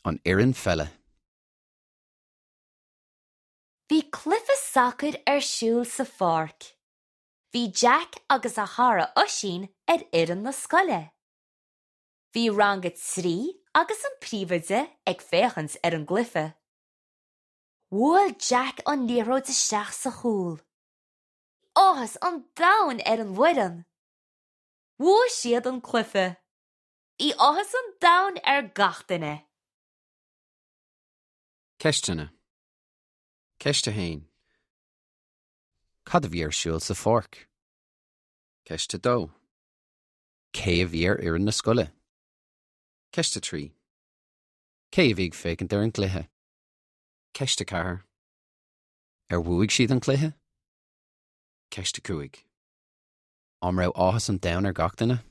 An fhoireann pheile. Bhí cluiche sacair ar siúl sa pháirc. Bhí Jack agus a chara Oisín ar fhoireann na scoile. Bhí rang a 3 agus an príomhoide ag féachaint ar an gcluiche. Bhuail Jack an liathróid isteach sa chúl. Áthas an domhain ar an bhfoireann. Bhuaigh siad an cluiche. Bhí áthas an domhain ar gach duine. Ceisteanna. Ceist 1. Cad a bhí ar siúl sa pháirc? Ceist 2. Cé a bhí ar fhoireann na scoile? Ceist 3. Cé a bhí ag féachaint ar an gcluiche? Ceist 4. Ar bhuaigh siad an cluiche? Ceist 5. An raibh áthas an domhain ar gach duine?